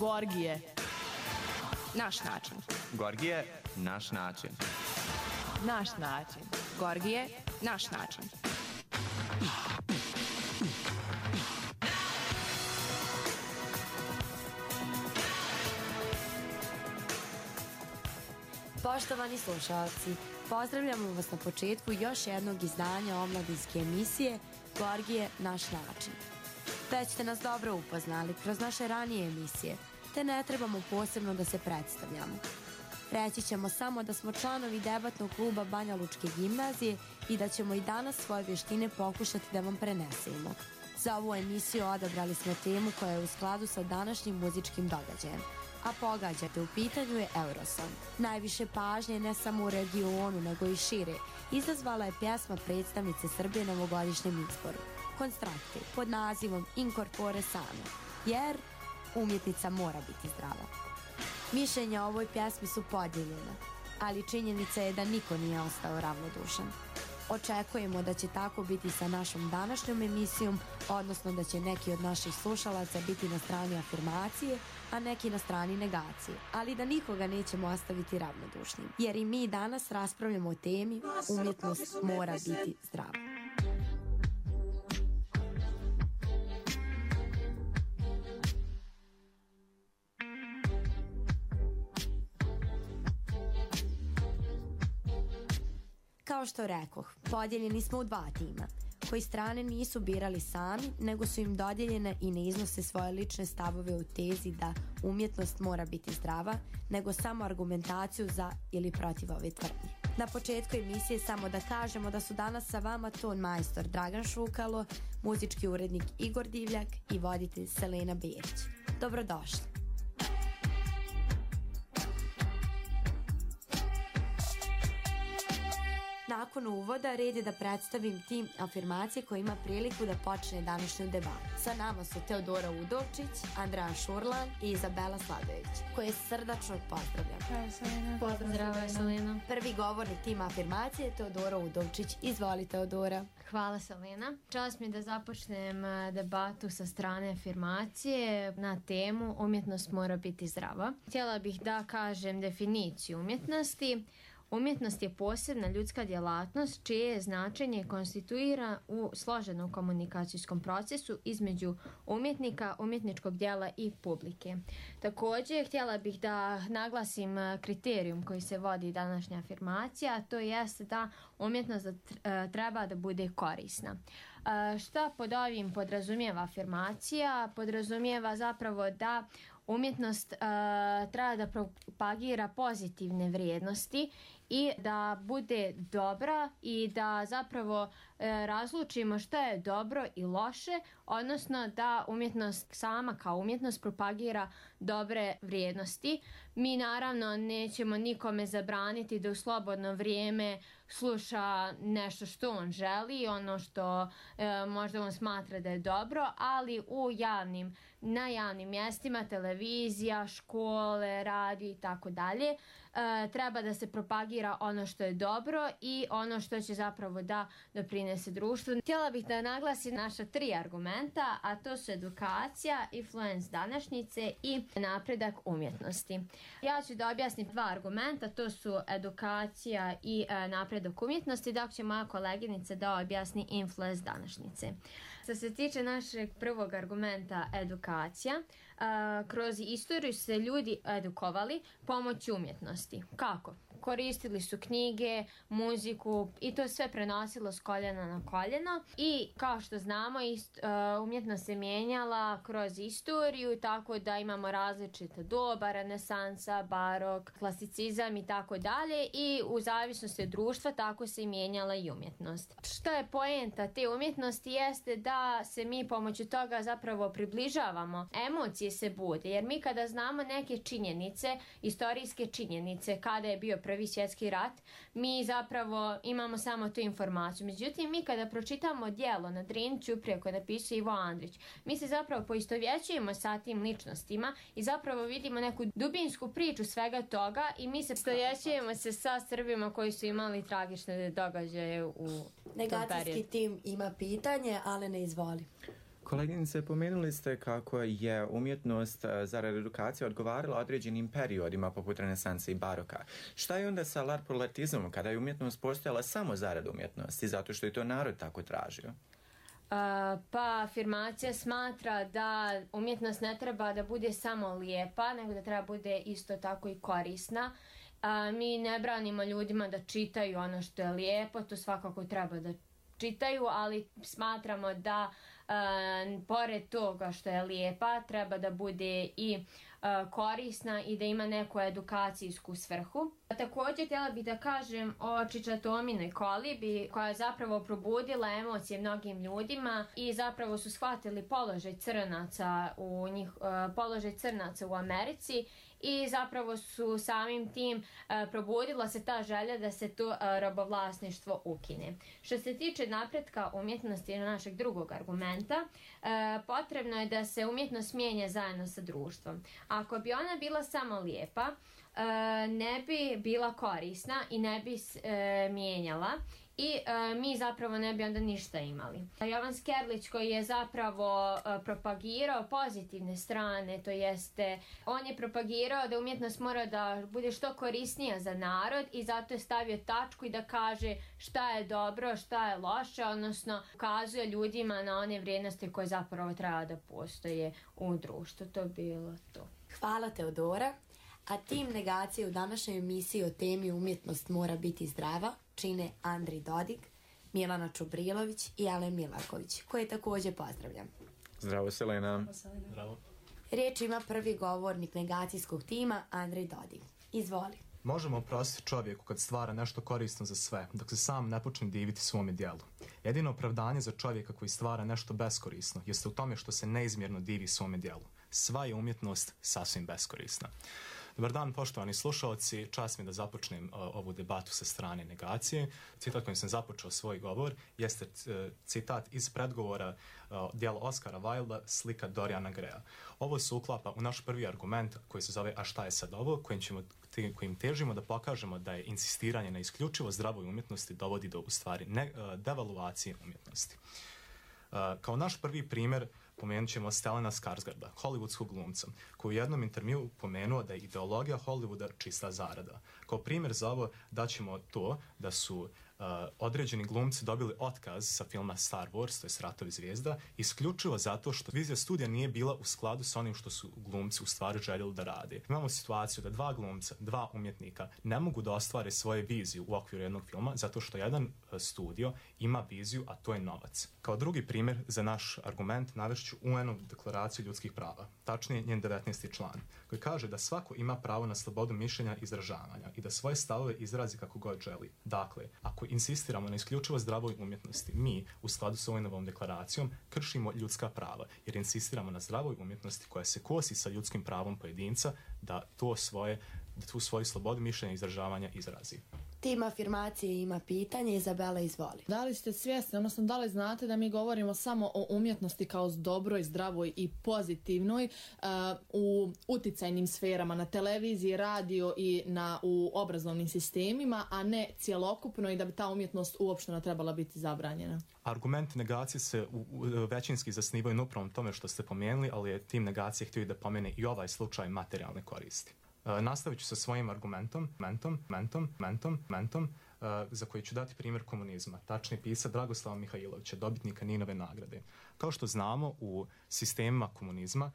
Gorgije. Naš način. Gorgije, naš način. Naš način. Gorgije, naš način. Poštovani slušalci, pozdravljamo vas na početku još jednog izdanja omladinske emisije Gorgije, naš način. Već ste nas dobro upoznali kroz naše ranije emisije, te ne trebamo posebno da se predstavljamo. Reći ćemo samo da smo članovi debatnog kluba Banja Lučke gimnazije i da ćemo i danas svoje vještine pokušati da vam prenesemo. Za ovu emisiju odabrali smo temu koja je u skladu sa današnjim muzičkim događajem. A pogađate, u pitanju je Eurosong. Najviše pažnje ne samo u regionu, nego i šire, izazvala je pjesma predstavnice Srbije na ovogodišnjem izboru, Konstrakte, pod nazivom Incorpore Sano, jer umjetnica mora biti zdrava. Mišljenja o ovoj pjesmi su podijeljena, ali činjenica je da niko nije ostao ravnodušan. Očekujemo da će tako biti sa našom današnjom emisijom, odnosno da će neki od naših slušalaca biti na strani afirmacije, a neki na strani negacije, ali da nikoga nećemo ostaviti ravnodušnim, jer i mi danas raspravljamo o temi umjetnost mora biti zdrava. Kao što rekoh, podijeljeni smo u dva tima, koji strane nisu birali sami, nego su im dodijeljene i ne iznose svoje lične stavove u tezi da umjetnost mora biti zdrava, nego samo argumentaciju za ili protiv ove tvrdnje. Na početku emisije samo da kažemo da su danas sa vama ton majstor Dragan Šukalo, muzički urednik Igor Divljak i voditelj Selena Berić. Dobrodošli! Nakon uvoda red je da predstavim tim afirmacije koji ima priliku da počne današnju debatu. Sa nama su Teodora Udovčić, Andreja Šurlan i Izabela Sladović, koje srdačno pozdravljam. Zdravo, Selena. Pozdrav, Selena. Prvi govornik tima afirmacije je Teodora Udovčić. Izvoli, Teodora. Hvala, Selena. Čast mi je da započnem debatu sa strane afirmacije na temu umjetnost mora biti zdrava. Htjela bih da kažem definiciju umjetnosti. Umjetnost je posebna ljudska djelatnost čije značenje konstituira u složenom komunikacijskom procesu između umjetnika, umjetničkog djela i publike. Također, htjela bih da naglasim kriterijum koji se vodi današnja afirmacija, a to jest da umjetnost treba da bude korisna. Šta pod ovim podrazumijeva afirmacija? Podrazumijeva zapravo da umjetnost treba da propagira pozitivne vrijednosti i da bude dobra i da zapravo razlučimo što je dobro i loše, odnosno da umjetnost sama kao umjetnost propagira dobre vrijednosti. Mi naravno nećemo nikome zabraniti da u slobodno vrijeme sluša nešto što on želi, ono što možda on smatra da je dobro, ali na javnim mjestima, televizija, škole, radio i tako dalje, treba da se propagira ono što je dobro i ono što će zapravo da doprinese društvu. Htjela bih da naglasim naša 3 argumenta, a to su edukacija, influence današnjice i napredak umjetnosti. Ja ću da objasnim 2 argumenta, to su edukacija i napredak umjetnosti, dok će moja koleginica da objasni influence današnjice. Što se tiče našeg prvog argumenta, edukacija, kroz istoriju se ljudi edukovali pomoću umjetnosti. Kako? Koristili su knjige, muziku i to sve prenosilo s koljena na koljeno i kao što znamo umjetnost se mijenjala kroz istoriju, tako da imamo različite doba, renesansa, barok, klasicizam i tako dalje, i u zavisnosti od društva tako se mijenjala i umjetnost. Što je poenta te umjetnosti jeste da se mi pomoću toga zapravo približavamo, emocije se bude, jer mi kada znamo neke činjenice, istorijske činjenice, kada je bio Prvi svjetski rat, mi zapravo imamo samo tu informaciju. Međutim, mi kada pročitamo djelo na Drini Ćuprije koje napisao Ivo Andrić, mi se zapravo poistovjećujemo sa tim ličnostima i zapravo vidimo neku dubinsku priču svega toga i mi se poistovjećujemo se sa Srbima koji su imali tragične događaje u tom periodu. Negacijski tim ima pitanje, ali ne izvoli. Koleginice, pomenuli ste kako je umjetnost zarad edukacije odgovarala određenim periodima poput renesanse i baroka. Šta je onda sa larpurlartizmom kada je umjetnost postojala samo zarad umjetnosti, zato što je to narod tako tražio? Pa afirmacija smatra da umjetnost ne treba da bude samo lijepa, nego da treba bude isto tako i korisna. Mi ne branimo ljudima da čitaju ono što je lijepo, to svakako treba da čitaju, ali smatramo da pored toga što je lijepa treba da bude i korisna i da ima neku edukacijsku svrhu. Također htjela bih da kažem o Čičatominoj kolibi koja je zapravo probudila emocije mnogim ljudima i zapravo su shvatili položaj crnaca u Americi i zapravo su samim tim probudila se ta želja da se to robovlasništvo ukine. Što se tiče napretka umjetnosti našeg drugog argumenta, potrebno je da se umjetnost mijenja zajedno sa društvom. Ako bi ona bila samo lijepa, ne bi bila korisna i ne bi mijenjala i mi zapravo ne bi onda ništa imali. Jovan Skerlić koji je zapravo propagirao pozitivne strane, to jeste on je propagirao da umjetnost mora da bude što korisnija za narod i zato je stavio tačku i da kaže šta je dobro, šta je loše, odnosno ukazuje ljudima na one vrijednosti koje zapravo treba da postoje u društvu. To je bilo to. Hvala Teodora. A tim negacije u današnjoj emisiji o temi umjetnost mora biti zdrava čine Andri Dodig, Milana Čubrilović i Alen Milaković, koje također pozdravljam. Zdravo, Selena. Zdravo. Riječ ima prvi govornik negacijskog tima, Andri Dodig. Izvoli. Možemo oprostiti čovjeku kad stvara nešto korisno za sve, dok se sam ne počne diviti svome djelu. Jedino opravdanje za čovjeka koji stvara nešto beskorisno jeste u tome što se neizmjerno divi svome djelu. Sva je umjetnost sasvim beskorisna. Dobar dan, poštovani slušalci, čast mi da započnem ovu debatu sa strane negacije. Citat kojim sam započeo svoj govor jeste citat iz predgovora djela Oscara Wilda, slika Doriana Greya. Ovo se uklapa u naš prvi argument koji se zove a šta je sad ovo, kojim težimo da pokažemo da je insistiranje na isključivo zdravoj umjetnosti dovodi do u stvari devaluacije umjetnosti. Kao naš prvi primjer pomenut ćemo Stellana Skarsgarda, hollywoodskog glumca, koji u jednom intervjuu pomenuo da je ideologija Hollywooda čista zarada. Kao primjer za ovo daćemo to da su određeni glumci dobili otkaz sa filma Star Wars, to je Ratovi zvijezda, isključivo zato što vizija studija nije bila u skladu sa onim što su glumci u stvari željeli da rade. Imamo situaciju da dva glumca, dva umjetnika ne mogu da ostvare svoje viziju u okviru jednog filma zato što jedan studio ima viziju, a to je novac. Kao drugi primjer za naš argument navešću UN-u deklaraciju ljudskih prava, tačnije njen 19. član, koji kaže da svako ima pravo na slobodu mišljenja i izražavanja i da svoje stavove izrazi kako god želi. Dakle, ako insistiramo na isključivo zdravoj umjetnosti, mi, u skladu s ovom deklaracijom, kršimo ljudska prava, jer insistiramo na zdravoj umjetnosti koja se kosi sa ljudskim pravom pojedinca da tu svoju slobodu mišljenja i izražavanja izrazi. Tim afirmacije ima pitanje, Izabela, izvoli. Da li ste svjesni, odnosno da li znate da mi govorimo samo o umjetnosti kao dobroj, zdravoj i pozitivnoj u uticajnim sferama, na televiziji, radio i u obrazovnim sistemima, a ne cjelokupno i da bi ta umjetnost uopšteno trebala biti zabranjena? Argument negacije se većinski zasnivaju na upravo tome što ste pomenuli, ali je tim negacije htio da pomene i ovaj slučaj materijalne koristi. Nastavit ću sa svojim argumentom, za koji ću dati primjer komunizma, tačnije pisac Dragoslava Mihajlovića, dobitnika Ninove nagrade. Kao što znamo, u sistemima komunizma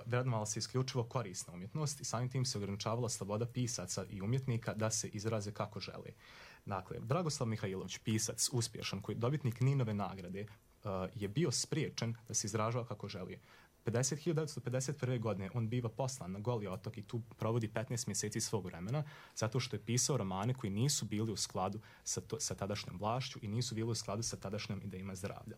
vrednovala se isključivo korisna umjetnost i samim tim se ograničavala sloboda pisaca i umjetnika da se izraze kako žele. Dakle, Dragoslav Mihajlović, pisac uspješan, koji je dobitnik Ninove nagrade, je bio spriječen da se izražava kako želi. 1951. godine on biva poslan na Goli otok i tu provodi 15 mjeseci svog vremena zato što je pisao romane koji nisu bili u skladu sa tadašnjom vlašću i nisu bili u skladu sa tadašnjom idejama zdravlja.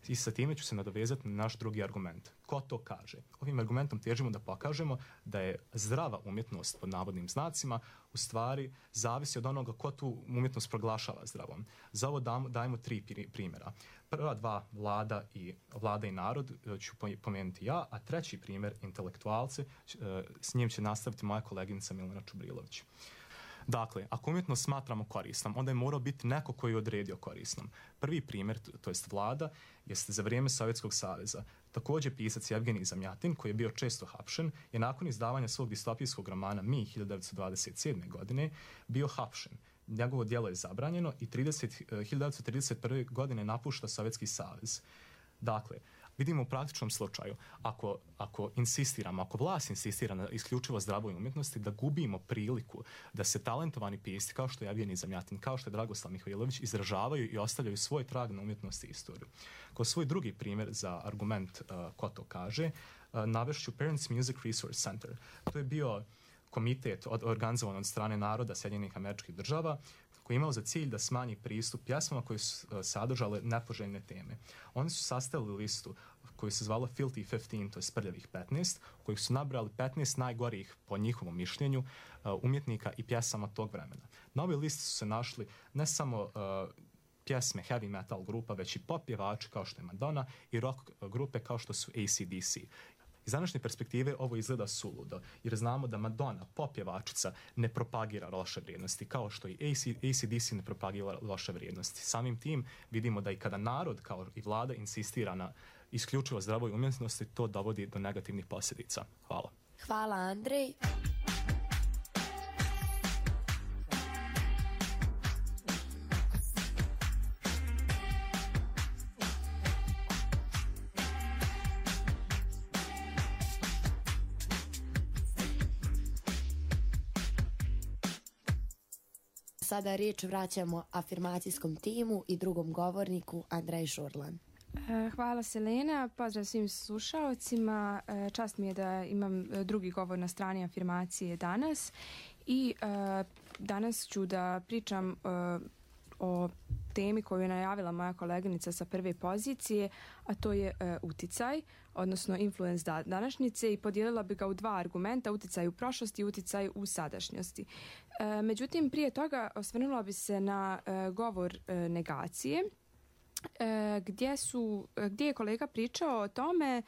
I sa time ću se nadovezati na naš drugi argument. Ko to kaže? Ovim argumentom težimo da pokažemo da je zdrava umjetnost pod navodnim znacima u stvari zavisi od onoga ko tu umjetnost proglašava zdravom. Za ovo dajemo 3 primjera. Prva dva, vlada i narod, ću pomenuti ja, a treći primjer, intelektualce, s njim će nastaviti moja koleginica Milana Čubrilović. Dakle, ako umjetnost smatramo korisnom, onda je morao biti neko koji je odredio korisnom. Prvi primjer, to jest vlada, jeste za vrijeme Sovjetskog saveza. Također pisac Evgenij Zamjatin, koji je bio često hapšen, je nakon izdavanja svog distopijskog romana Mi 1927. godine bio hapšen. Njegovo djelo je zabranjeno i 1931. godine napušta Sovjetski savez. Dakle, vidimo u praktičnom slučaju, ako insistiramo, ako vlast insistira na isključivo zdravoj umjetnosti, da gubimo priliku da se talentovani pisci, kao što je Evgenij Zamjatin, kao što je Dragoslav Mihajlović, izražavaju i ostavljaju svoj trag na umjetnosti i istoriju. Kao svoj drugi primjer za argument ko to kaže, navešću Parents Music Resource Center. To je bio komitet organizovan od strane naroda Sjedinjenih Američkih Država, koji je imao za cilj da smanji pristup pjesmama koje su sadržale nepoželjne teme. Oni su sastavili listu koju se zvala Filthy 15, to je Prljavih 15, u kojih su nabrali 15 najgorih, po njihovom mišljenju, umjetnika i pjesama tog vremena. Na ovoj listi su se našli ne samo pjesme heavy metal grupa, već i pop pjevači kao što je Madonna i rock grupe kao što su AC/DC. Iz današnje perspektive ovo izgleda suludo, jer znamo da Madonna, pop pjevačica, ne propagira loše vrijednosti, kao što i AC/DC ne propagira loše vrijednosti. Samim tim vidimo da i kada narod, kao i vlada, insistira na isključivo zdravoj umjetnosti, to dovodi do negativnih posljedica. Hvala. Hvala, Andrej. Sada riječ vraćamo afirmacijskom timu i drugom govorniku Andrej Žurlan. Hvala Selena, pozdrav svim slušaocima. Čast mi je da imam drugi govor na strani afirmacije danas i danas ću da pričam o temi koju je najavila moja koleginica sa prve pozicije, a to je uticaj, odnosno influence današnjice, i podijelila bi ga u dva argumenta, uticaj u prošlosti i uticaj u sadašnjosti. Međutim, prije toga osvrnula bi se na govor negacije, gdje je kolega pričao o tome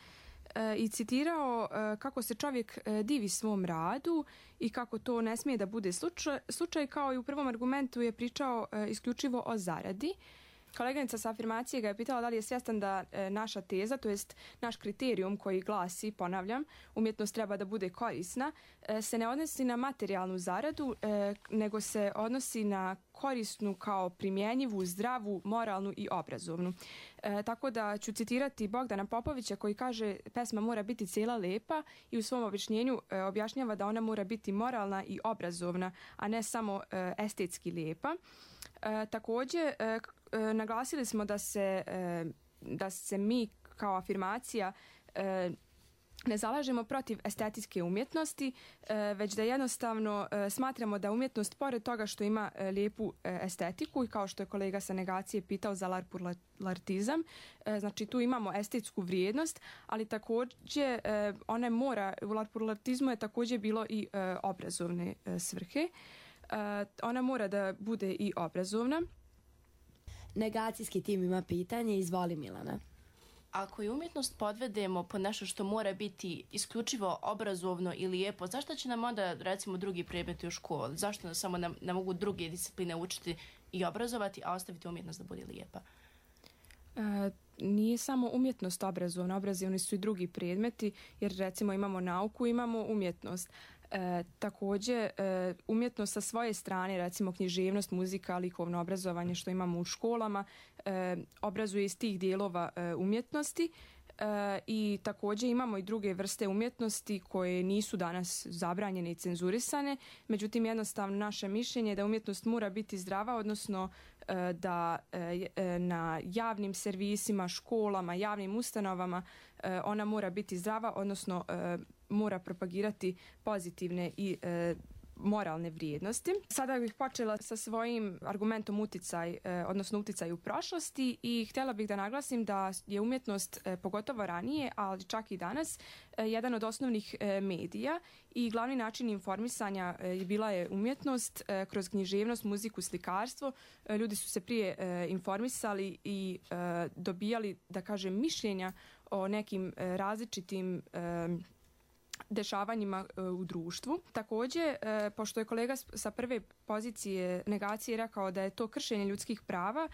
i citirao kako se čovjek divi svom radu i kako to ne smije da bude slučaj, kao i u prvom argumentu je pričao isključivo o zaradi. Koleganica sa afirmacije ga je pitala da li je svjestan da naša teza, to jest naš kriterijum koji glasi, ponavljam, umjetnost treba da bude korisna, se ne odnosi na materijalnu zaradu, nego se odnosi na korisnu kao primjenjivu, zdravu, moralnu i obrazovnu. Tako da ću citirati Bogdana Popovića koji kaže pesma mora biti cijela lepa i u svom objašnjenju objašnjava da ona mora biti moralna i obrazovna, a ne samo estetski lijepa. Također, naglasili smo da se mi kao afirmacija ne zalažemo protiv estetske umjetnosti, već da jednostavno smatramo da umjetnost, pored toga što ima lijepu estetiku i kao što je kolega sa negacije pitao za larpurlartizam, znači tu imamo estetsku vrijednost, ali također ona mora, u larpurlartizmu je također bilo i obrazovne svrhe. Ona mora da bude i obrazovna. Negacijski tim ima pitanje, izvoli Milana. Ako je umjetnost podvedemo po nešto što mora biti isključivo obrazovno i lijepo, zašto će nam onda, recimo, drugi predmeti u školi? Zašto nam samo ne mogu druge discipline učiti i obrazovati, a ostaviti umjetnost da bude lijepa? Nije samo umjetnost obrazovna, obrazovni su i drugi predmeti, jer recimo imamo nauku, imamo umjetnost. Također, umjetnost sa svoje strane, recimo književnost, muzika, likovno obrazovanje što imamo u školama, obrazuje iz tih dijelova umjetnosti. I također imamo i druge vrste umjetnosti koje nisu danas zabranjene i cenzurisane, međutim jednostavno naše mišljenje je da umjetnost mora biti zdrava, odnosno da na javnim servisima, školama, javnim ustanovama ona mora biti zdrava, odnosno mora propagirati pozitivne i moralne vrijednosti. Sada bih počela sa svojim argumentom uticaj, odnosno uticaj u prošlosti, i htjela bih da naglasim da je umjetnost, pogotovo ranije, ali čak i danas, jedan od osnovnih medija i glavni način informisanja bila je umjetnost kroz književnost, muziku, slikarstvo. Ljudi su se prije informisali i dobijali, da kažem, mišljenja o nekim različitim dešavanjima u društvu. Također, pošto je kolega sa prve pozicije negacije rekao da je to kršenje ljudskih prava,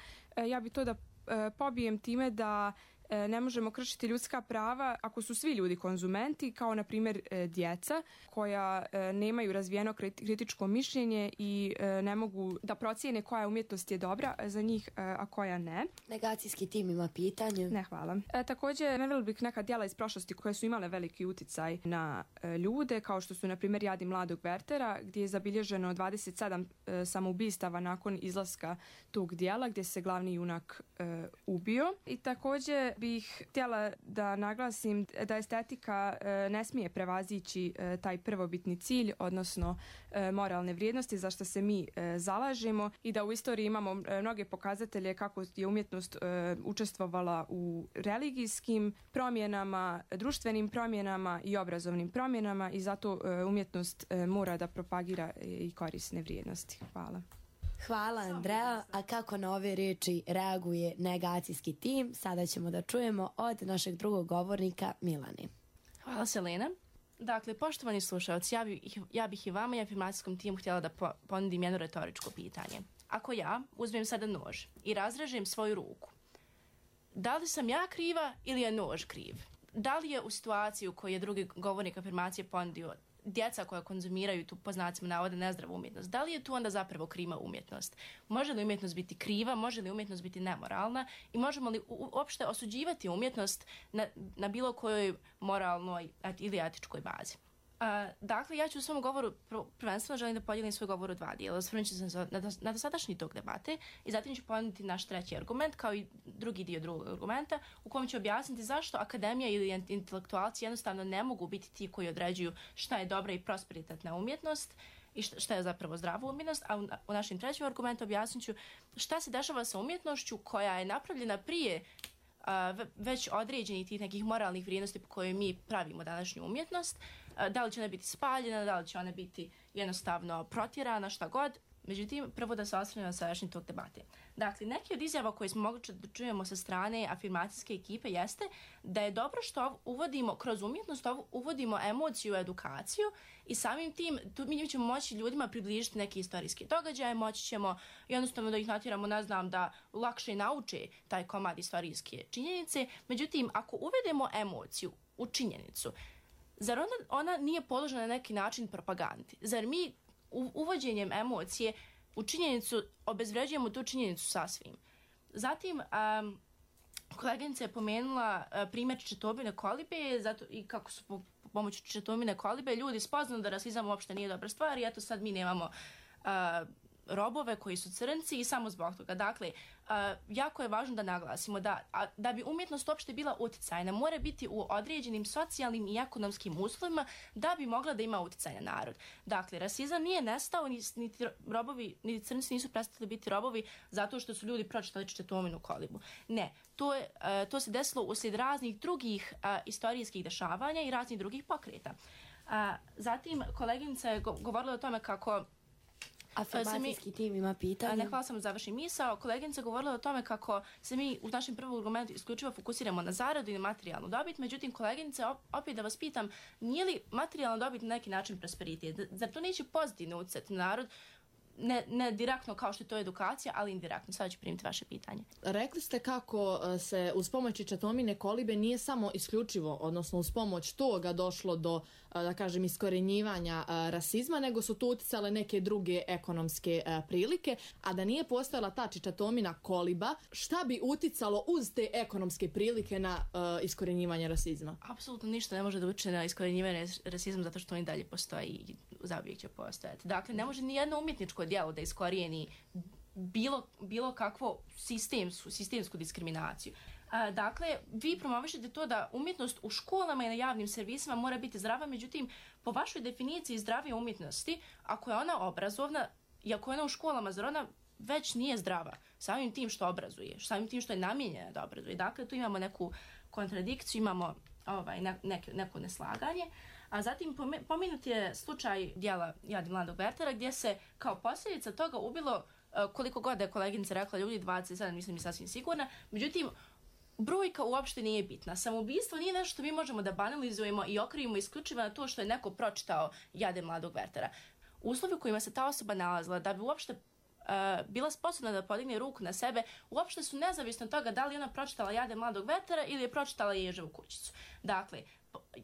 ja bi to da pobijem time da ne možemo kršiti ljudska prava ako su svi ljudi konzumenti, kao na primjer djeca koja nemaju razvijeno kritičko mišljenje i ne mogu da procijene koja umjetnost je dobra za njih, a koja ne. Negacijski tim ima pitanje. Ne, hvala. Također, navela bih neka djela iz prošlosti koje su imale veliki uticaj na ljude, kao što su na primjer Jadi mladog Wertera, gdje je zabilježeno 27 samoubistava nakon izlaska tog djela, gdje se glavni junak ubio. I također bih htjela da naglasim da estetika ne smije prevazići taj prvobitni cilj, odnosno moralne vrijednosti za što se mi zalažemo, i da u istoriji imamo mnoge pokazatelje kako je umjetnost učestvovala u religijskim promjenama, društvenim promjenama i obrazovnim promjenama, i zato umjetnost mora da propagira i korisne vrijednosti. Hvala. Hvala, Andrea. A kako na ove riječi reaguje negacijski tim, sada ćemo da čujemo od našeg drugog govornika, Milane. Hvala, Selena. Dakle, poštovani slušalci, ja bih i vama i afirmacijskom timu htjela da ponudim jedno retoričko pitanje. Ako ja uzmem sada nož i razrežem svoju ruku, da li sam ja kriva ili je nož kriv? Da li je u situaciji u kojoj je drugi govornik afirmacije ponudio djeca koja konzumiraju tu, po znacima navoda, nezdravu umjetnost, da li je tu onda zapravo kriva umjetnost? Može li umjetnost biti kriva, može li umjetnost biti nemoralna i možemo li uopšte osuđivati umjetnost na bilo kojoj moralnoj ili etičkoj bazi? Dakle, ja ću u svom govoru prvenstveno želim da podijelim svoj govor u dva dijela. Osvrnut ću se na dosadašnji tok debate i zatim ću ponuditi naš treći argument kao i drugi dio drugog argumenta u kojem ću objasniti zašto akademija ili intelektualci jednostavno ne mogu biti ti koji određuju šta je dobra i prosperitetna umjetnost i šta je zapravo zdrava umjetnost, a u našem trećem argumentu objasnit ću šta se dešava sa umjetnošću koja je napravljena prije već određenih tih nekih moralnih vrijednosti po kojoj mi pravimo današnju umjetnost. Da li će ona biti spaljena, da li će ona biti jednostavno protjerana, šta god. Međutim, prvo da se osvrnemo na sadašnji tok debate. Dakle, neki od izjava koje smo mogli da čujemo sa strane afirmacijske ekipe jeste da je dobro što uvodimo kroz umjetnost, uvodimo emociju u edukaciju i samim tim mi ćemo moći ljudima približiti neke istorijske događaje, moći ćemo jednostavno da ih natjeramo, ne znam, da lakše nauče taj komad istorijske činjenice. Međutim, ako uvedemo emociju u činjenicu, zar ona nije podložena na neki način propagandi? Zar mi uvođenjem emocije u činjenicu obezvređujemo tu činjenicu sasvim? Zatim, koleginica je pomenula primjer Četomine kolibe i kako su po pomoću Četomine kolibe ljudi spoznali da rasizam uopšte nije dobra stvar i eto sad mi nemamo robove koji su crnci i samo zbog toga. Dakle, jako je važno da naglasimo da bi umjetnost uopšte bila uticajna, mora biti u određenim socijalnim i ekonomskim uslovima da bi mogla da ima uticaj na narod. Dakle, rasizam nije nestao, niti crnci nisu prestali biti robovi zato što su ljudi pročitali Četominu kolibu. Ne, to se desilo uslijed raznih drugih istorijskih dešavanja i raznih drugih pokreta. Zatim, koleginica je govorila o tome kako afirmacijski tim ima pitanje. Ne, hvala, samo završim misao. Koleginica govorila o tome kako se mi u našem prvom argumentu isključivo fokusiramo na zaradu i na materijalnu dobit. Međutim, koleginica, opet da vas pitam, nije li materijalna dobit na neki način prosperitet? Zar to neće pozitivno utjecati na narod? Ne direktno kao što je to edukacija, ali indirektno. Sada ću primiti vaše pitanje. Rekli ste kako se uz pomoć Četomine kolibe nije samo isključivo, odnosno uz pomoć toga došlo do, da kažem, iskorjenjivanja rasizma, nego su tu uticale neke druge ekonomske prilike, a da nije postojala ta Četomina koliba, šta bi uticalo uz te ekonomske prilike na iskorjenjivanje rasizma? Apsolutno ništa ne može da utiče na iskorjenjivanje rasizma zato što on i dalje postoji i zauvijek će postojati. Dakle, ne može ni jedno umjetničko djelo da iskorijeni bilo kakvu sistemsku diskriminaciju. Dakle, vi promovišete to da umjetnost u školama i na javnim servisima mora biti zdrava, međutim, po vašoj definiciji zdrave umjetnosti, ako je ona obrazovna i ako je ona u školama, zar ona već nije zdrava samim tim što obrazuje, samim tim što je namijenjena da obrazuje. Dakle, tu imamo neku kontradikciju, imamo neko neslaganje. A zatim pomenut je slučaj djela Jadi mladog Wertera gdje se kao posljedica toga ubilo koliko god je koleginica rekla ljudi, 27, nisam mi sasvim sigurna. Međutim, brojka uopšte nije bitna. Samoubistvo nije nešto što mi možemo da banalizujemo i okrivimo isključivo na to što je neko pročitao Jade mladog Wertera. Uslovi u kojima se ta osoba nalazila da bi uopšte bila sposobna da podigne ruku na sebe, uopšte su nezavisno od toga da li ona pročitala Jade mladog Wertera ili je pročitala Ježevu kućicu. Dakle,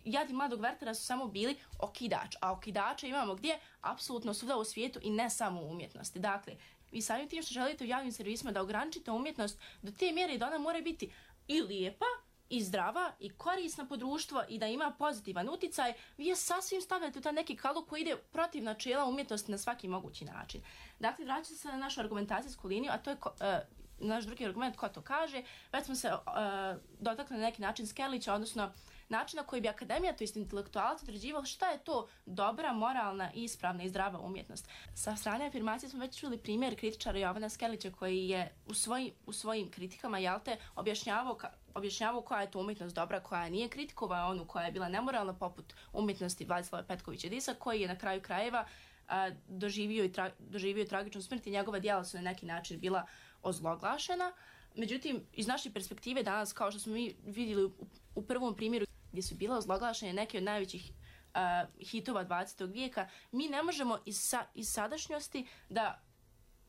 Jadi mladog Wertera su samo bili okidač, a okidača imamo gdje? Apsolutno svuda u svijetu i ne samo u umjetnosti. Dakle, vi samim tim što želite u javnim servisima da ograničite umjetnost do te mjere da ona mora biti i lijepa, i zdrava, i korisna po društvo i da ima pozitivan uticaj, vi je sasvim stavljate u taj neki kalup koji ide protiv načela umjetnosti na svaki mogući način. Dakle, vraćate se na našu argumentacijsku liniju, a to je naš drugi argument ko to kaže. Već smo se dotakli na neki način Skerlića, odnosno način na koji bi akademija, to jest intelektualac, određivao šta je to dobra, moralna, ispravna i zdrava umjetnost. Sa strane afirmacije smo već čuli primjer kritičara Jovana Skerlića koji je u svojim kritikama objašnjavao koja je to umjetnost dobra, koja nije, kritikovao onu koja je bila nemoralna, poput umjetnosti Vladislava Petkovića Disa, koji je na kraju krajeva doživio tragičnu smrt i njegova djela su na neki način bila ozloglašena. Međutim, iz naše perspektive danas, kao što smo mi vidjeli u prvom primjeru gdje su bila ozloglašene neke od najvećih hitova 20. vijeka, mi ne možemo iz sadašnjosti da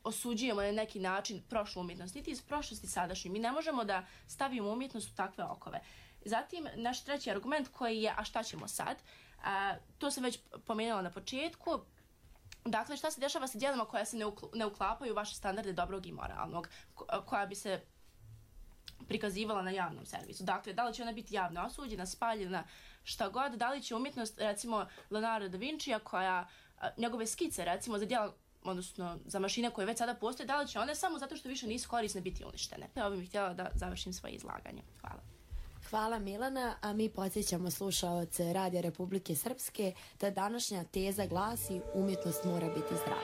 osuđujemo na neki način prošlu umjetnost, niti iz prošlosti sadašnju. Mi ne možemo da stavimo umjetnost u takve okove. Zatim, naš treći argument koji je, a šta ćemo sad? To sam već pomenula na početku. Dakle, šta se dešava sa djelima koja se ne uklapaju u vaše standarde dobrog i moralnog, koja bi se prikazivala na javnom servisu. Dakle, da li će ona biti javno osuđena, spaljena, šta god, da li će umjetnost, recimo, Leonardo da Vincija, njegove skice, recimo, za djela, odnosno za mašine koje već sada postoje, da li će one samo zato što više nisu korisne biti uništene. Ovo bih htjela da završim svoje izlaganje. Hvala. Hvala Milana, a mi podsjećamo slušaoce Radija Republike Srpske da današnja teza glasi umjetnost mora biti zdrava.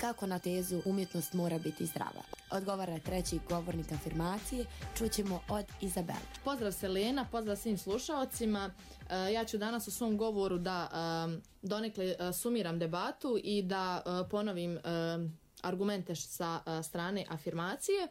Kako na tezu umjetnost mora biti zdrava? Odgovara treći govornik afirmacije, čućemo od Izabele. Pozdrav Selena, pozdrav svim slušaocima. Ja ću danas u svom govoru da donekle sumiram debatu i da ponovim argumente sa strane afirmacije.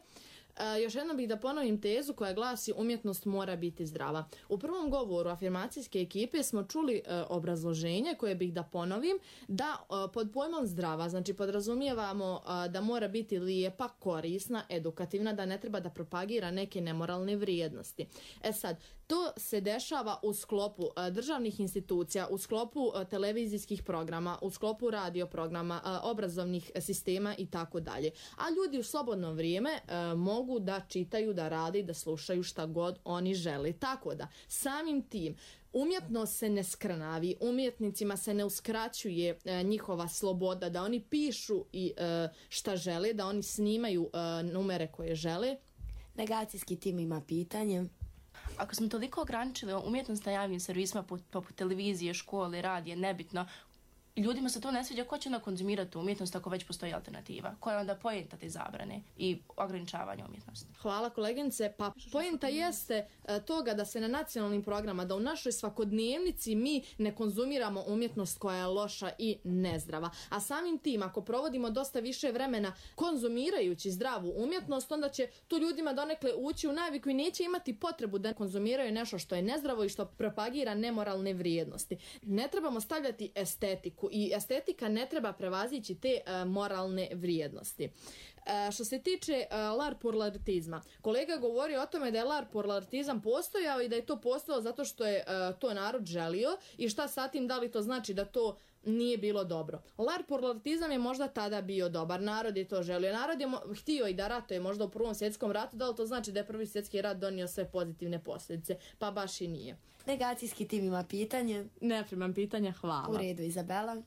Još jednom bih da ponovim tezu koja glasi umjetnost mora biti zdrava. U prvom govoru afirmacijske ekipe smo čuli obrazloženje koje bih da ponovim, da pod pojmom zdrava, znači podrazumijevamo da mora biti lijepa, korisna, edukativna, da ne treba da propagira neke nemoralne vrijednosti. Sad, to se dešava u sklopu državnih institucija, u sklopu televizijskih programa, u sklopu radio programa, obrazovnih sistema i tako dalje. A ljudi u slobodno vrijeme mogu da čitaju, da rade i da slušaju šta god oni žele. Tako da, samim tim, umjetnost se ne skrnavi, umjetnicima se ne uskraćuje njihova sloboda, da oni pišu i šta žele, da oni snimaju numere koje žele. Negacijski tim ima pitanje. Ako smo toliko ograničili umjetnost na javnim servisima poput televizije, škole, radije, nebitno, ljudima se to ne sviđa, ko će onda konzumirati umjetnost ako već postoji alternativa? Koja je onda poenta te zabrane i ograničavanja umjetnosti? Hvala koleginice. Pa poenta jeste toga da se na nacionalnim programama, da u našoj svakodnevnici mi ne konzumiramo umjetnost koja je loša i nezdrava. A samim tim, ako provodimo dosta više vremena konzumirajući zdravu umjetnost, onda će tu ljudima donekle ući u naviku i neće imati potrebu da konzumiraju nešto što je nezdravo i što propagira nemoralne vrijednosti. Ne trebamo stavljati estetiku i estetika ne treba prevazići te moralne vrijednosti. Što se tiče larpurlartizma, kolega govori o tome da je larpurlartizam postojao i da je to postojao zato što je to narod želio i šta sa tim, da li to znači da to nije bilo dobro. Larpurlartizam je možda tada bio dobar, narod je to želio. Narod je htio i da ratuje možda u Prvom svjetskom ratu, da li to znači da je Prvi svjetski rat donio sve pozitivne posljedice? Pa baš i nije. Negacijski tim ima pitanje. Ne primam pitanja, hvala. U redu, Izabela.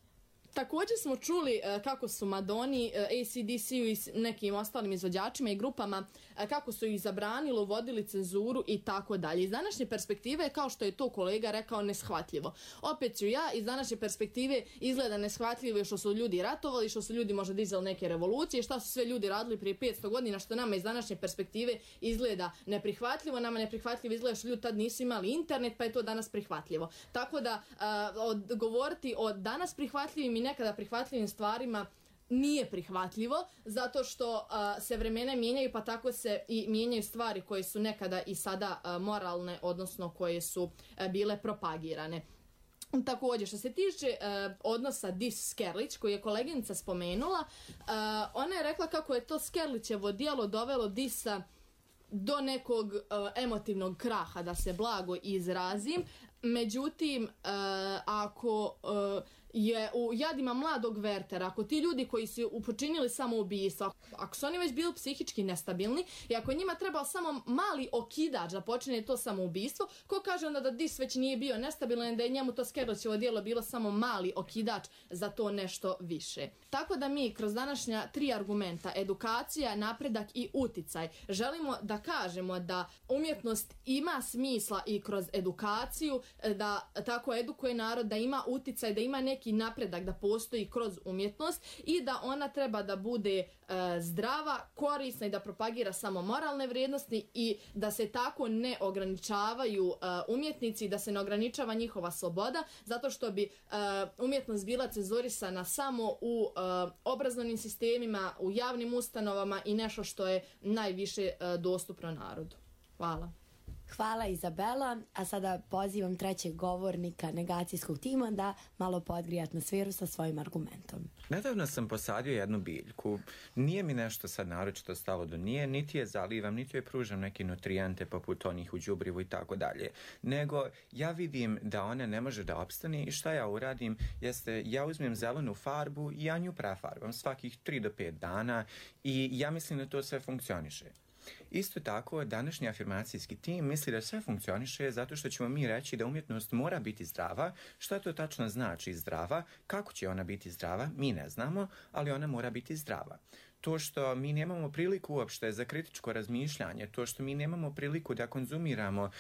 Također smo čuli kako su Madoni, AC/DC-u i nekim ostalim izvođačima i grupama, kako su ih zabranilo, uvodili cenzuru i tako dalje. Iz današnje perspektive, kao što je to kolega rekao, neshvatljivo. Opet ću ja, iz današnje perspektive izgleda neshvatljivo što su ljudi ratovali, što su ljudi možda dizali neke revolucije, šta su sve ljudi radili prije 500 godina, što nama iz današnje perspektive izgleda neprihvatljivo. Nama neprihvatljivo izgleda što ljudi tad nisu imali internet, pa je to danas prihvatljivo. Tako da govoriti o danas prihvatljivim i nekada prihvatljivim stvarima nije prihvatljivo, zato što se vremena mijenjaju, pa tako se i mijenjaju stvari koje su nekada i sada moralne, odnosno koje su bile propagirane. Također, što se tiče odnosa Dis-Skerlić, koji je koleginica spomenula, ona je rekla kako je to Skerlićevo djelo dovelo Disa do nekog emotivnog kraha, da se blago izrazim. Međutim, ako je u jadima mladog Wertera, ako ti ljudi koji su počinili samoubistvo, ako su oni već bili psihički nestabilni i ako njima trebao samo mali okidač da počine to samoubistvo, ko kaže onda da Dis već nije bio nestabilan, da je njemu to Skerlićevo djelo bilo samo mali okidač za to nešto više. Tako da mi kroz današnja 3 argumenta, edukacija, napredak i uticaj, želimo da kažemo da umjetnost ima smisla i kroz edukaciju, da tako edukuje narod, da ima uticaj, da ima neki napredak, da postoji kroz umjetnost i da ona treba da bude zdrava, korisna i da propagira samo moralne vrijednosti i da se tako ne ograničavaju umjetnici, da se ne ograničava njihova sloboda, zato što bi umjetnost bila cenzurisana samo u obrazovnim sistemima, u javnim ustanovama i nešto što je najviše dostupno narodu. Hvala. Hvala Izabela, a sada pozivam trećeg govornika negacijskog tima da malo podgrije atmosferu sa svojim argumentom. Nedavno sam posadio jednu biljku. Nije mi nešto sad naročito stalo do nje, niti je zalivam, niti joj pružam neke nutrijente poput onih u đubrivu i tako dalje. Nego ja vidim da ona ne može da opstane i šta ja uradim jeste ja uzmem zelenu farbu i ja nju prefarbam svakih 3 do 5 dana i ja mislim da to sve funkcioniše. Isto tako, današnji afirmacijski tim misli da sve funkcioniše zato što ćemo mi reći da umjetnost mora biti zdrava. Šta to tačno znači zdrava? Kako će ona biti zdrava? Mi ne znamo, ali ona mora biti zdrava. To što mi nemamo priliku uopšte za kritičko razmišljanje, to što mi nemamo priliku da konzumiramo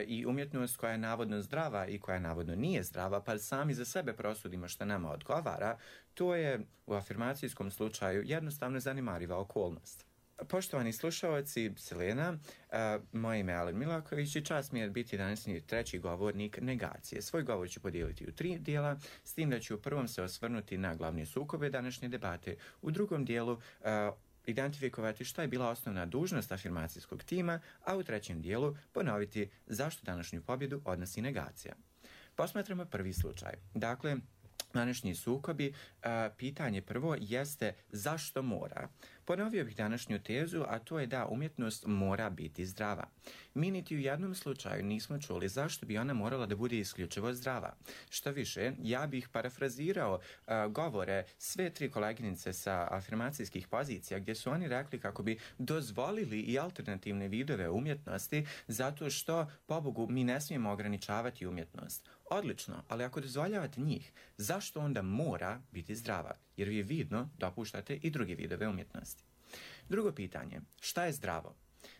i umjetnost koja je navodno zdrava i koja navodno nije zdrava, pa sami za sebe prosudimo što nama odgovara, to je u afirmacijskom slučaju jednostavno zanemariva okolnost. Poštovani slušalci, Selena, moje ime je Alen Milaković i čast mi je biti današnji treći govornik negacije. Svoj govor ću podijeliti u 3 dijela, s tim da ću u prvom se osvrnuti na glavne sukobe današnje debate, u drugom dijelu identifikovati šta je bila osnovna dužnost afirmacijskog tima, a u trećem dijelu ponoviti zašto današnju pobjedu odnosi negacija. Posmatramo prvi slučaj. Dakle, današnji sukobi, pitanje prvo jeste zašto mora. Ponovio bih današnju tezu, a to je da umjetnost mora biti zdrava. Mi niti u jednom slučaju nismo čuli zašto bi ona morala da bude isključivo zdrava. Što više, ja bih parafrazirao govore sve 3 koleginice sa afirmacijskih pozicija gdje su oni rekli kako bi dozvolili i alternativne vidove umjetnosti zato što, pobogu, mi ne smijemo ograničavati umjetnost. Odlično, ali ako dozvoljavate njih, zašto onda mora biti zdrava? Jer vi vidno dopuštate i druge vidove umjetnosti. Drugo pitanje, šta je zdravo?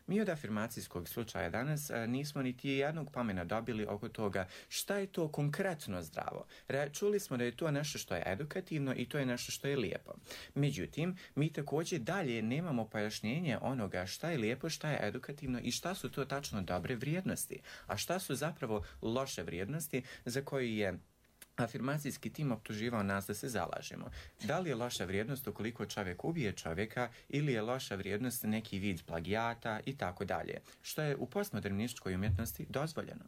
Mi od afirmacijskog slučaja danas nismo niti jednog pomena dobili oko toga šta je to konkretno zdravo. Čuli smo da je to nešto što je edukativno i to je nešto što je lijepo. Međutim, mi također dalje nemamo pojašnjenje onoga šta je lijepo, šta je edukativno i šta su to tačno dobre vrijednosti, a šta su zapravo loše vrijednosti za koje je afirmacijski tim optuživao nas da se zalažemo. Da li je loša vrijednost ukoliko čovjek ubije čovjeka ili je loša vrijednost neki vid plagijata i tako dalje, što je u postmodernističkoj umjetnosti dozvoljeno.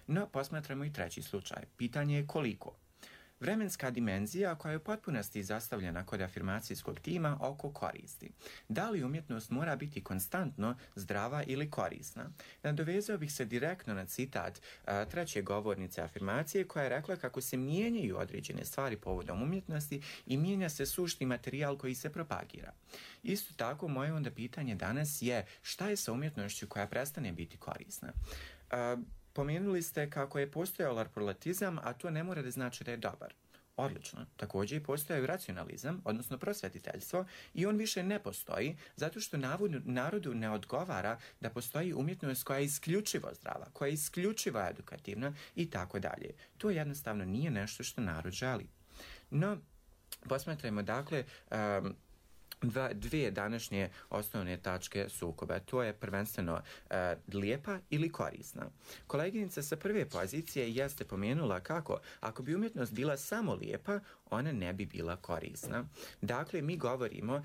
No, posmatramo i treći slučaj. Pitanje je koliko. Vremenska dimenzija koja je u potpunosti zastavljena kod afirmacijskog tima oko koristi. Da li umjetnost mora biti konstantno zdrava ili korisna? Nadovezao bih se direktno na citat treće govornice afirmacije koja je rekla kako se mijenjaju određene stvari povodom umjetnosti i mijenja se sušni materijal koji se propagira. Isto tako, moje onda pitanje danas je šta je sa umjetnošću koja prestane biti korisna? Pomenuli ste kako je postojao larpurlatizam, a to ne mora da znači da je dobar. Odlično. Također postoji racionalizam, odnosno prosvetiteljstvo, i on više ne postoji zato što narodu ne odgovara da postoji umjetnost koja je isključivo zdrava, koja je isključivo edukativna i tako dalje. To jednostavno nije nešto što narod želi. No, posmatrajmo dakle dvije današnje osnovne tačke sukoba. To je prvenstveno lijepa ili korisna. Koleginica sa prve pozicije jeste pomenula kako ako bi umjetnost bila samo lijepa, ona ne bi bila korisna. Dakle, mi govorimo,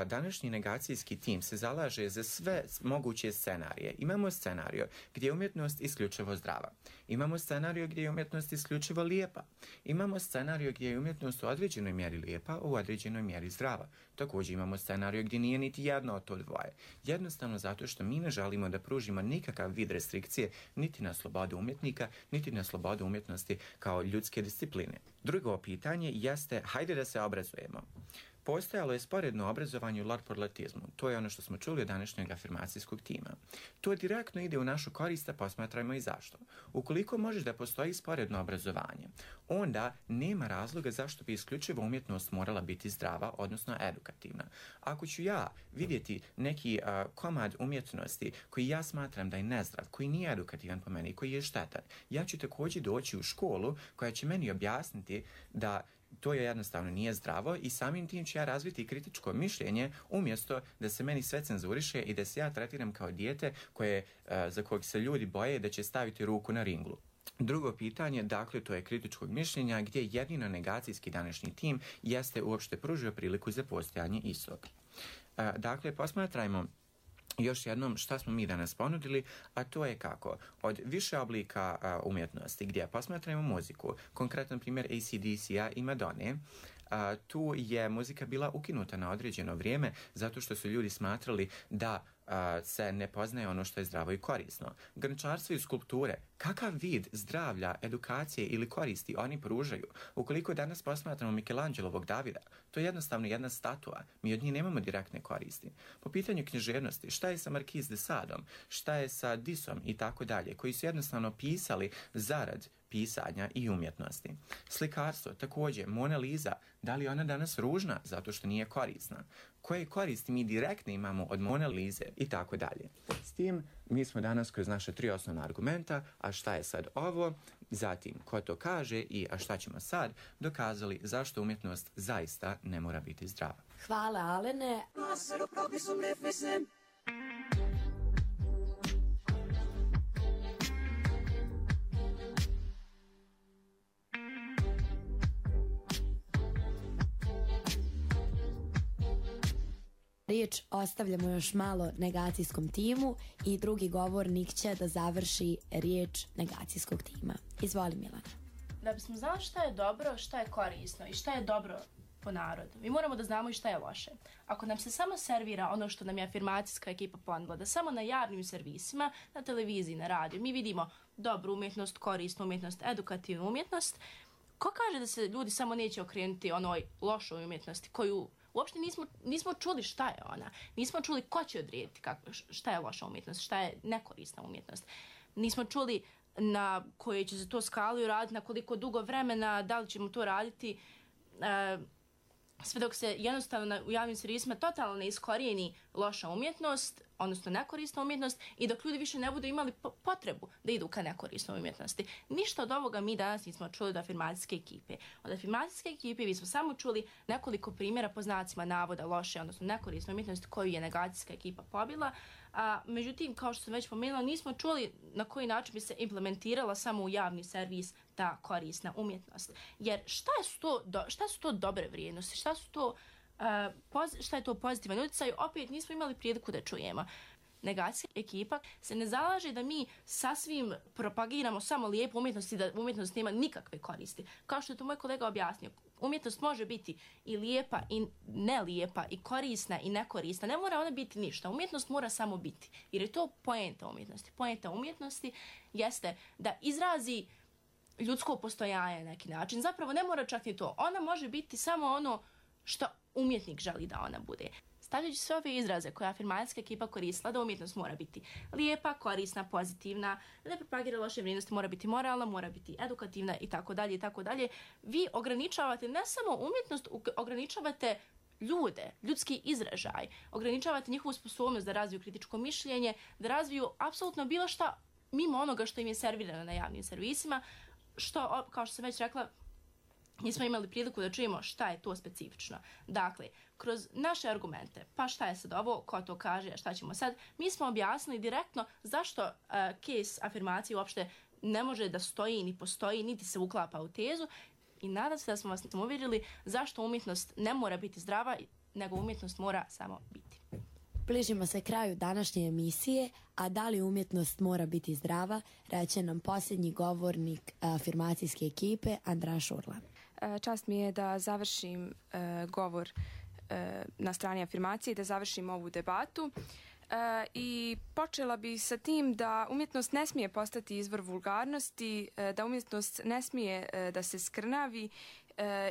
današnji negacijski tim se zalaže za sve moguće scenarije. Imamo scenario gdje je umjetnost isključivo zdrava. Imamo scenario gdje je umjetnost isključivo lijepa. Imamo scenario gdje je umjetnost u određenoj mjeri lijepa, u određenoj mjeri zdrava. Također imamo scenario gdje nije niti jedno od to dvoje. Jednostavno zato što mi ne želimo da pružimo nikakav vid restrikcije niti na slobodu umjetnika, niti na slobodu umjetnosti kao ljudske discipline. Drugo pitanje jeste, hajde da se obrazujemo. Postojalo je sporedno obrazovanje u larpurlartizmu. To je ono što smo čuli od današnjeg afirmacijskog tima. To direktno ide u našu korist, a posmatrajmo i zašto. Ukoliko možeš da postoji sporedno obrazovanje, onda nema razloga zašto bi isključivo umjetnost morala biti zdrava, odnosno edukativna. Ako ću ja vidjeti neki komad umjetnosti koji ja smatram da je nezdrav, koji nije edukativan po meni, koji je štetan, ja ću također doći u školu koja će meni objasniti da to je jednostavno nije zdravo i samim tim ću ja razviti kritičko mišljenje umjesto da se meni sve cenzuriše i da se ja tretiram kao dijete za kojeg se ljudi boje da će staviti ruku na ringlu. Drugo pitanje, dakle, to je kritičkog mišljenja gdje jedino negacijski današnji tim jeste uopšte pružio priliku za postojanje istog. Dakle, posmatrajmo još jednom šta smo mi danas ponudili, a to je kako od više oblika umjetnosti gdje posmatramo muziku, konkretan primjer AC/DC-a i Madone, tu je muzika bila ukinuta na određeno vrijeme zato što su ljudi smatrali da se ne poznaje ono što je zdravo i korisno. Grnčarstvo i skulpture, kakav vid zdravlja, edukacije ili koristi oni pružaju? Ukoliko danas posmatramo Michelangelovog Davida, to je jednostavno jedna statua, mi od njih nemamo direktne koristi. Po pitanju književnosti, šta je sa Marquis de Sadom, šta je sa Disom i tako dalje, koji su jednostavno pisali zarad pisanja i umjetnosti. Slikarstvo, također, Mona Lisa, da li je ona danas ružna zato što nije korisna? Koje koristi mi direktno imamo od Mona Lise i tako dalje. S tim mi smo danas kroz naše 3 osnovna argumenta, a šta je sad ovo, zatim ko to kaže i a šta ćemo sad, dokazali zašto umjetnost zaista ne mora biti zdrava. Hvala, Alene. Riječ ostavljamo još malo negacijskom timu i drugi govornik će da završi riječ negacijskog tima. Izvoli, Milana. Da bismo znali šta je dobro, šta je korisno i šta je dobro po narodu, mi moramo da znamo i šta je loše. Ako nam se samo servira ono što nam je afirmacijska ekipa ponudila, da samo na javnim servisima, na televiziji, na radiju, mi vidimo dobru umjetnost, korisnu umjetnost, edukativnu umjetnost, ko kaže da se ljudi samo neće okrenuti onoj lošoj umjetnosti koju uopšte nismo čuli šta je ona. Nismo čuli ko će odrediti šta je loša umjetnost, šta je nekorisna umjetnost. Nismo čuli na koje će se to skali raditi, na koliko dugo vremena, da li ćemo to raditi, sve dok se jednostavno u javnim servisima totalno ne iskorijeni loša umjetnost, odnosno nekorisna umjetnost i dok ljudi više ne budu imali potrebu da idu ka nekorisnoj umjetnosti. Ništa od ovoga mi danas nismo čuli od afirmacijske ekipe. Od afirmacijske ekipe mi smo samo čuli nekoliko primjera po znacima navoda loše, odnosno nekorisne umjetnosti koju je negacijska ekipa pobila. Međutim, kao što sam već pomenula, nismo čuli na koji način bi se implementirala samo u javni servis ta korisna umjetnost. Jer šta su to dobre vrijednosti? Šta je to pozitivan utjecaj? Opet nismo imali priliku da čujemo. Negacijska ekipa se ne zalaže da mi sasvim propagiramo samo lijepu umjetnost i da umjetnost nema nikakve koristi. Kao što je to moj kolega objasnio, umjetnost može biti i lijepa i nelijepa i korisna i nekorisna. Ne mora ona biti ništa. Umjetnost mora samo biti. Jer je to poenta umjetnosti. Poenta umjetnosti jeste da izrazi ljudsko postojanje na neki način. Zapravo ne mora čak ni to. Ona može biti samo ono što umjetnik želi da ona bude. stavljajući sve ove izraze koje afirmacijska ekipa koristila, da umjetnost mora biti lijepa, korisna, pozitivna, da ne propagira loše vrijednosti, mora biti moralna, mora biti edukativna i tako dalje, vi ograničavate ne samo umjetnost, ograničavate ljude, ljudski izražaj, ograničavate njihovu sposobnost da razviju kritičko mišljenje, da razviju apsolutno bilo šta mimo onoga što im je servirano na javnim servisima, što, kao što sam već rekla, nismo imali priliku da čujemo šta je to specifično. Dakle, kroz naše argumente, pa šta je sad ovo, ko to kaže, a šta ćemo sad, mi smo objasnili direktno zašto case afirmacije uopšte ne može da stoji, ni postoji, niti se uklapa u tezu, i nadam se da smo vas uvjerili zašto umjetnost ne mora biti zdrava, nego umjetnost mora samo biti. Bližimo se kraju današnje emisije, a da li umjetnost mora biti zdrava, reće nam posljednji govornik afirmacijske ekipe, Andra Šurla. Čast mi je da završim govor na strani afirmacije i da završim ovu debatu. I počela bi sa tim da umjetnost ne smije postati izvor vulgarnosti, da umjetnost ne smije da se skrnavi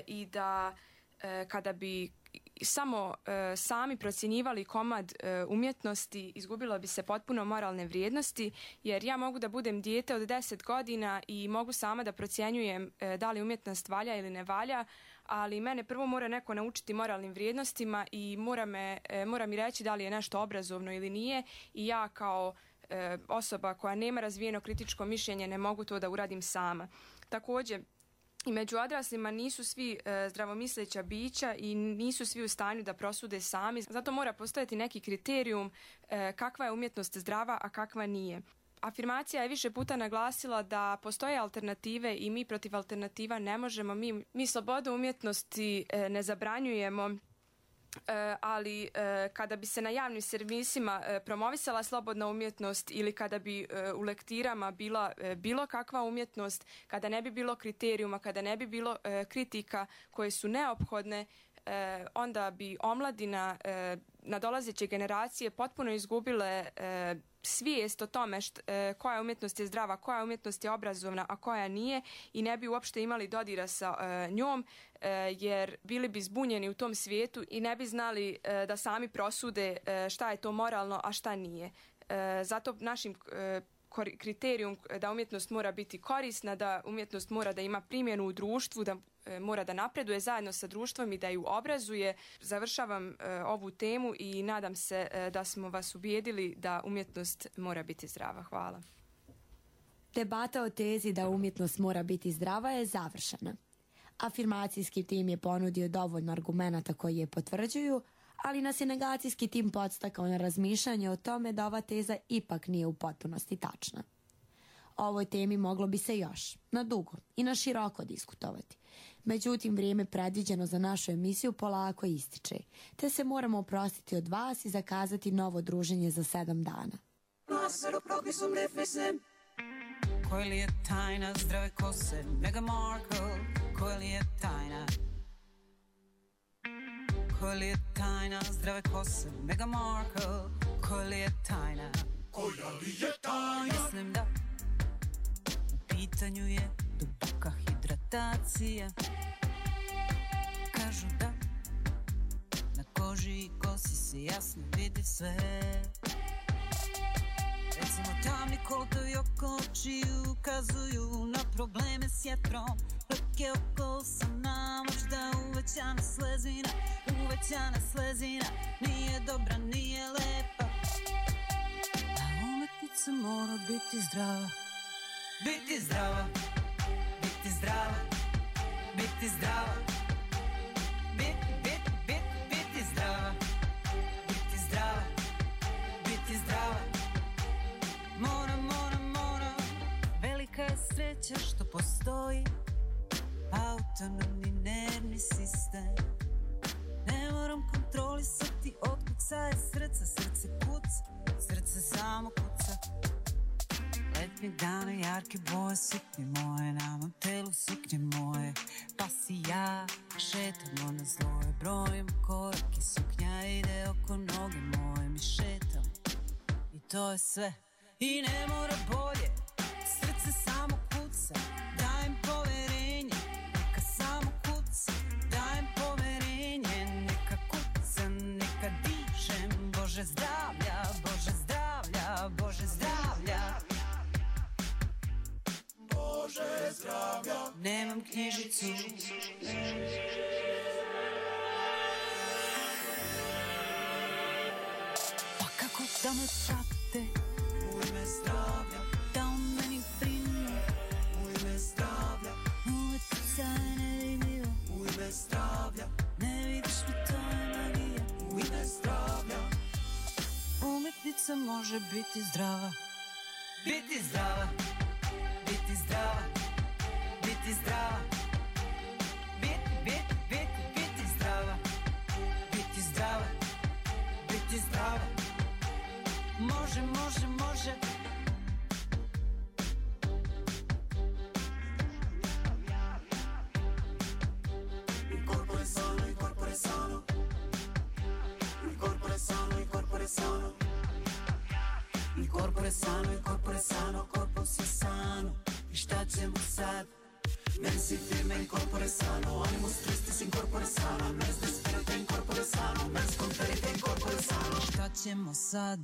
i da kada bi samo sami procjenjivali komad umjetnosti, izgubilo bi se potpuno moralne vrijednosti, jer ja mogu da budem dijete od 10 godina i mogu sama da procjenjujem da li umjetnost valja ili ne valja, ali mene prvo mora neko naučiti moralnim vrijednostima i mora mi reći da li je nešto obrazovno ili nije, i ja kao osoba koja nema razvijeno kritičko mišljenje ne mogu to da uradim sama. Također, i među odraslima nisu svi zdravomisleća bića i nisu svi u stanju da prosude sami. Zato mora postojati neki kriterijum kakva je umjetnost zdrava, a kakva nije. Afirmacija je više puta naglasila da postoje alternative i mi protiv alternativa ne možemo. Mi slobodu umjetnosti ne zabranjujemo, ali kada bi se na javnim servisima promovisala slobodna umjetnost ili kada bi u lektirama bila bilo kakva umjetnost, kada ne bi bilo kriterijuma, kada ne bi bilo kritika koje su neophodne, onda bi omladina, nadolazeće generacije potpuno izgubile svijest o tome koja umjetnost je zdrava, koja umjetnost je obrazovna, a koja nije, i ne bi uopšte imali dodira sa njom, jer bili bi zbunjeni u tom svijetu i ne bi znali da sami prosude šta je to moralno, a šta nije. Zato našim kriterijum da umjetnost mora biti korisna, da umjetnost mora da ima primjenu u društvu, da mora da napreduje zajedno sa društvom i da ju obrazuje. Završavam ovu temu i nadam se da smo vas ubijedili da umjetnost mora biti zdrava. Hvala. Debata o tezi da umjetnost mora biti zdrava je završena. Afirmacijski tim je ponudio dovoljno argumenata koji je potvrđuju, ali nas je negacijski tim podstakao na razmišljanje o tome da ova teza ipak nije u potpunosti tačna. O ovoj temi moglo bi se još, na dugo i na široko diskutovati. Međutim, vrijeme predviđeno za našu emisiju polako ističe, te se moramo oprostiti od vas i zakazati novo druženje za 7 dana. Koja li je tajna zdrave kose Meghan Markle? Koja li je tajna? Koja li je tajna zdrave kose Meghan Markle? Koja li je tajna? Koja li je tajna? Mislim da u pitanju je duboka hidratacija. Kažu da na koži i kosi se jasno vidi sve. Recimo tamni kolotovi oko očiju ukazuju na probleme s jetrom. Plake oko usana, možda uvećana slezina nije dobra, nije lepa. A umetnica mora biti zdrava. Biti zdrava, biti zdrava, biti zdrava. Biti zdrava, biti zdrava, biti zdrava. Moram. Velika je sreća što postoji autonomni nervni sistem. Ne moram kontrolisati otkucaje srca. Srce kuca, srce samo kuca. Letnje dane, jarke boje, suknje moje, na mom telu suknje moje. Pa si ja šetamo na zloje, brojim korake, suknja ide oko noge moje. Mi šetamo i to je sve. I ne mora bolje, srce samo kuca. Dajem poverenje, neka samo kuca. Dajem poverenje, neka kuca, neka diše. Nemam knjižicu. Pa kako da me prate u ime zdravlja, da o meni brinu u ime zdravlja, umetica je nevidljiva u ime zdravlja, ne vidiš mi, to je magija u ime zdravlja. Umetnica može biti zdrava, biti zdrava, biti zdrava, biti zdrava, biti zdrava, biti zdrava, biti zdrava. Može, može, može. Il corpo è sano, il corpo è sano. Il corpo è sano, il corpo è sano. Il corpo è sano, il corpo è sano, corpo si è sano. I šta ćemo sad? Mensi firme, il corpo è sano. Animus tristis, in corpo è sano. Mens desperite, in corpo è sano. Mens conferite, in corpo è sano. Šta ćemo sad?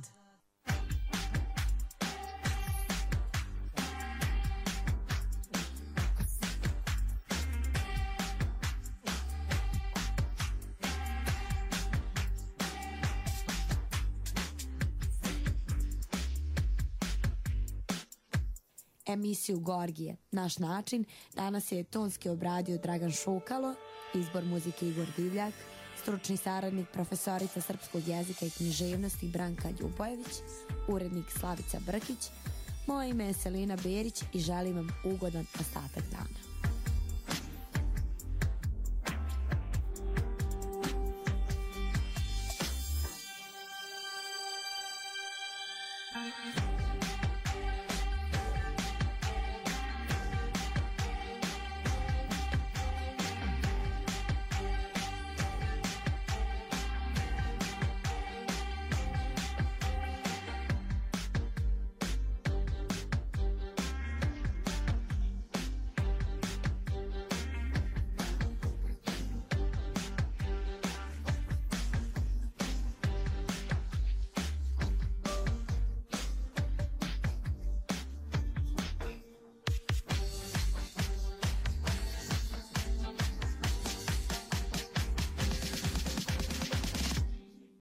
Emisiju Gorgije, naš način, danas je tonski obradio Dragan Šukalo, izbor muzike Igor Divljak, stručni saradnik profesorica srpskog jezika i književnosti Branka Ljubojević, urednik Slavica Brkić. Moje ime je Selina Berić i želim vam ugodan ostatak dana. Thank you.